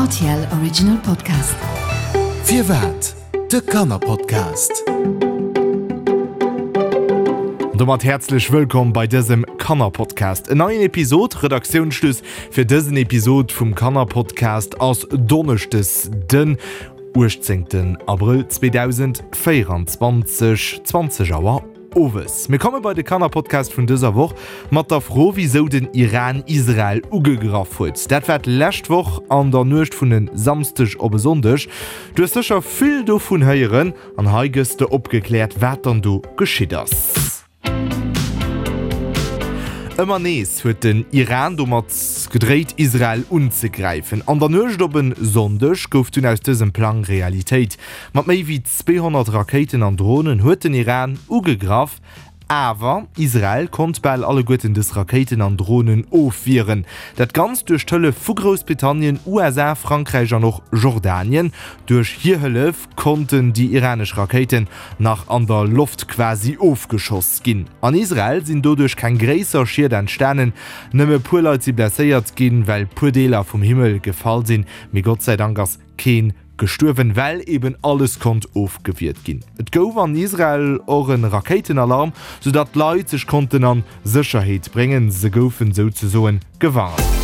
RTL Original Podcast. Firwat? De Kannerpodcast. An domat häerzlech wëllkomm bei dësem Kannerpodcast. En neien Episod, Redaktiounsschluss fir dësen Episod vum Kannerpodcast ass Donneschdes den 18 Abrëll 2024, 20 Auer. Owes. Mir komme bei de Kannerpodcast vun dëser Woch mat der Fro, wisou den Iran Israel ugegraff huet. Dat war d'lescht Woch an der Nuecht vun e Samsdeg op e Sonndeg. Du hues sécher vill dovun héieren an hei gëss de opgekläert, wat dann do geschitt ass. Ëmmer nees huet den Iran domat gedréit, Israel unzegräifen. An der Nuecht op e Sonndeg gouf dunn aus dësem Plang Realitéit. Mat méi wéi 200 Rakéiten an Dronen huet den Iran ugegraff, awer Israel konnt bal alleguerten dës Rakéiten an Dronen ofwieren. Dat Ganzt duerch d'Hëllef vu Groussbritannien, USA, Frankräich an och Jordanien. Duerch hir Hëllef konnten déi iranesch Rakéiten nach an der Loft quasi ofgeschoss ginn. An Israel sinn doduerch keng gréisser Schied entstanen, nëmme puer Leit si blesséiert ginn, well puer Deeler vum Himmel gefall sinn, mee Gott sei Dank ass keen gestuerwen, well eben alles konnt ofgewiert ginn. Et gouf an Israel och e Rakéitenalarm, soudatt d'Leit sech konnten a Sécherheet bréngen. Se goufen souzesoen gewarnt.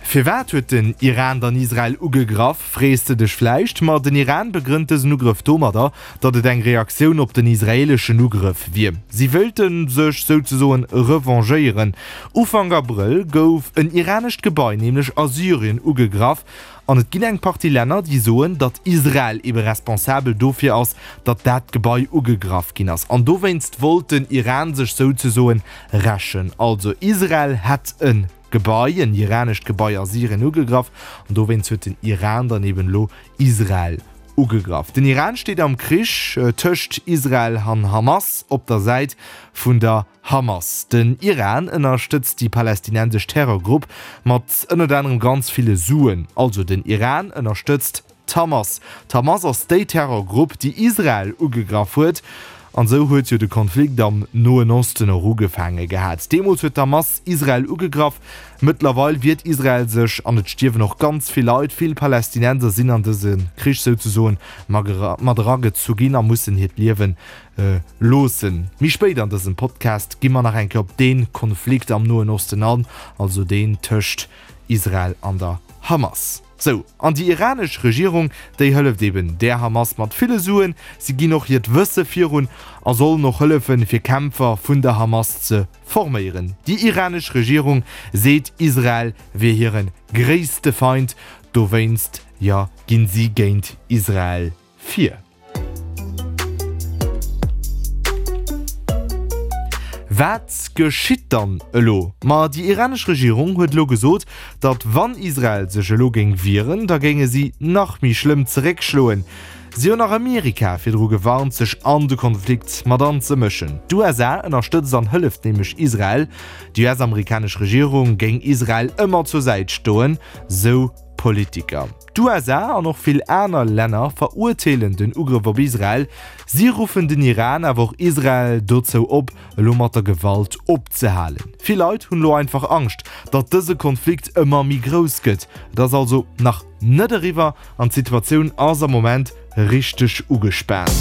Firwat huet den Iran dann Israel ugegraff, frees de dech vläicht? Ma den Iran begrënnt dësen Ugrëff domadder, datt et eng Reaktioun op den israeeleschen Ugrëff wier. Si wéilte sech souzesoen revanchéieren. Ufank Abrëll gouf en iranescht Gebai nämlech a Syrien ugegraff An et ginn eng Partie Länner, déi soen, datt Israel ebe responsabel dofir ass, datt dat Gebai ugegraff ginn ass. An dowéinst wollt den Iran sech souzesoen rächen. Also Israel hätt e Gebai, en iranescht Gebai a Syrien ugegraff an dowéinst huet den Iran dann eben elo Israel ugegraff. Den Iran steet am Krich tëscht Israel an Hamas op der Säit vun der Hamas. Den Iran ënnerstëtzt déi palästinensesch Terrorgrupp mat ënnert anerem ganz ville Suen. Also den Iran ënnerstëtzt d'Hamas. D'Hamas ass déi Terrorgrupp, déi Israel ugegraff huet. An esou huet jo de Konflikt am Noen Osten och ugefaange gehat. Deemools huet d'Hamas Israel ugegraff. Mëttlerweil wiert Israel sech an et stierwen och ganz vill Leit. Vill Palästinenser sinn an dëse Krich souzesoen mat eragezu ginn a mussen hiert Liewen Loossen. Méi spéit an dësem Podcast gi mer nach eng Kéier op dee Konflikt am Noen Osten an, also deen tëscht Israel an der Hamas. Sou, an déi iranesch Regierung, déi hëlleft eben där Hamas mat ville Suen. Si ginn och hiert Wësse virun a sollen och hëllefen, fir Kämpfer vun der Hamas ze forméieren. Déi iranesch Regierung seet, Israel wier hire gréisste Feind, dowéinst, jo, ginn si géint Israel vir. Wat geschitt dann elo? Ma déi iranesch Regierung huet elo gesot, datt wann Israel sech elo géing wieren, da géinge si nach méi schlëmm zeréckschloen. Si hunn nach Amerika virdru gewarnt, sech an de Konflikt mat anzemëschen. D'USA ënnerstëtzt an hëlleft nämlech Israel. Déi US-amerikanesch Regierung géing Israel ëmmer zur Säit stoen, sou Politiker. D'USA an och vill aner Länner verurteelen den Ugrëff op Israel. Si ruffen den Iran, awer och Israel dozou op, elo mat der Gewalt opzehalen. Vill Leit hunn elo einfach Angscht, datt dëse Konflikt ëmmer méi grouss gëtt. Et ass also nach net eriwwer an d'Situatioun ass am Moment richteg ugespaant.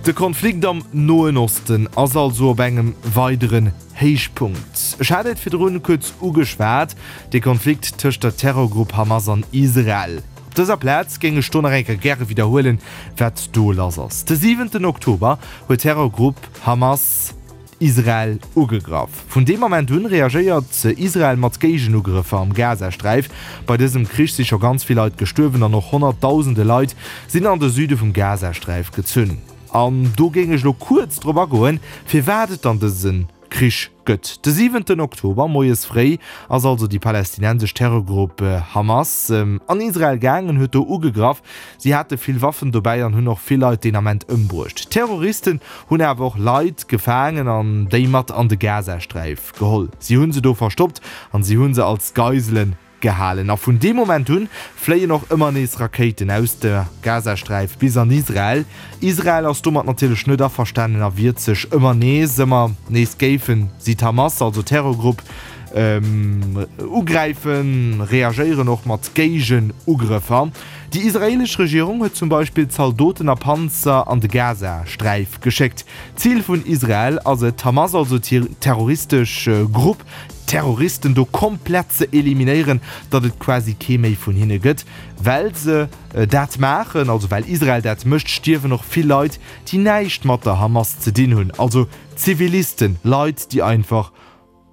De Konflikt am Noen Osten ass also op engem weideren Héichpunkt. Ech hat et virdrun kuerz ugeschwat, de Konflikt tëscht der Terrorgrupp Hamas an Israel. Op dëser Plaz géing ech do nach eng Kéier gäre widderhuelen, wat do lass ass. De siwenten Oktober huet d'Terrorgrupp Hamas Israel ugegraff. Vun deem Ament un reagéiert Israel mat Géigenugrëffer am Gazasträif. Bei dësem Krich si scho ganz vill Leit gestuerwen an och honnertdausende Leit sinn an de Süde vum Gazasträif gezunn. An do géing ech elo kuerz drop agoen, firwat et dann dëse Krich gëtt. De siwenten Oktober moies fréi ass also déi palästinensesch Terrorgrupp Hamas an Israel gaangen, huet do ugegraff. Si hate vill Waffen dobäi an hunn och vill Leit deen Ament ëmbruecht. D'Terroristen hunn awer och Leit gefaangen an déi mat an de Gazasträif geholl. Si hu se do verstoppt an si hu se als Geiselen Gehalen. A vun deem Moment un fléien och ëmmer nees Rakéiten aus der Gazasträif bis an Israel. Israel ass domat natierlech net averstanen a wiert sech ëmmer nees. Ëmmer nees géifen si d'Hamas, also Terrorgrupp, Ugräifen, reagéieren och mat Géigenugrëffer. Déi israeelesch Regierung huet zum Beispill Zaldoten a Panzer an de Gazasträif geschéckt. Zil vun Israel ass et, d'Hamas, also d'terroristesch Grupp, d'Terroristen do komplett ze eliminéieren, datt et quasi kee méi vun hinne gëtt. Well se dat maachen, also well Israel dat mécht, stierwen och vill Leit, déi näischt mat der Hamas ze dinn hunn, also Zivilisten, Leit, déi einfach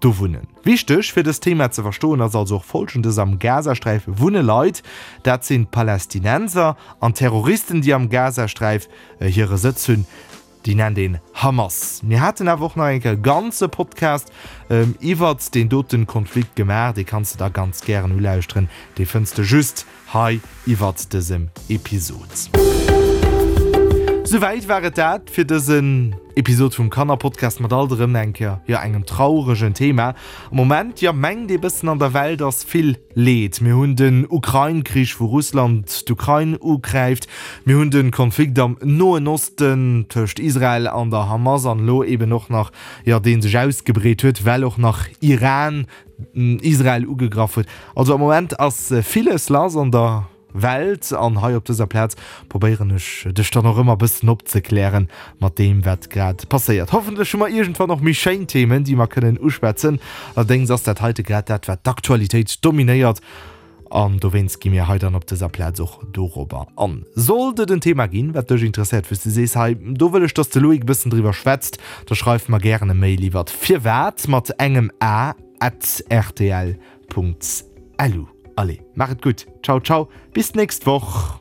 do wunnen. Wichteg fir dëst Thema ze verstoen ass also och folgendes, Am Gazasträif wunne Leit, dat sinn d'Palästinenser, an d'Terroristen déi am Gazasträif hire Sëtz hunn, déi nennt een Hamas. Mir haten awer och nach eng Kéier e ganze Podcast iwwert deen doten Konflikt gemaach, dee kanns de da ganz gären ulauschteren, dee fënns de just hei iwwert dësem Episod. Souwäit war et dat fir dësen Episod vum Kannerpodcast mat alt erëm eng Kéier, jo, engem trauregen Thema. Am Moment, jo, mengt ee bëssen an der Welt ass vill Leed. Mir hunn den Ukrain-Krich, wou Russland d'Ukrain ugräift. Mir hunn de Konflikt am Noen Osten tëscht Israel an der Hamas an elo eben och nach, jo, dee sech ausgebreet huet, well och nach Iran Israel ugegraff huet. Also am Moment ass villes lass an der Welt an hei op dëser Plaz probéieren ech dech dann och ëmmer bëssen opzeklären mat deem wat grad passéiert. Hoffentlech hu mer iergendwann och méi schéin Themen déi mer kënnen uschwätzen. Allerdéngs ass dat heite grad dat wat d'Aktualitéit dominéiert an dowéinst gi mir hei dann op dëser Plaz och dorobber an. Sollt et en Thema ginn wat dech interesséiert wou s de sees hei do wëll ech dass de Loïc e bëssen driwwer schwätzt, da schreif mer gären e Mail iwwert firwat mat engem a at rtl.lu. Allez, maach et gutt, ciao ciao, bis d'nächst Woch.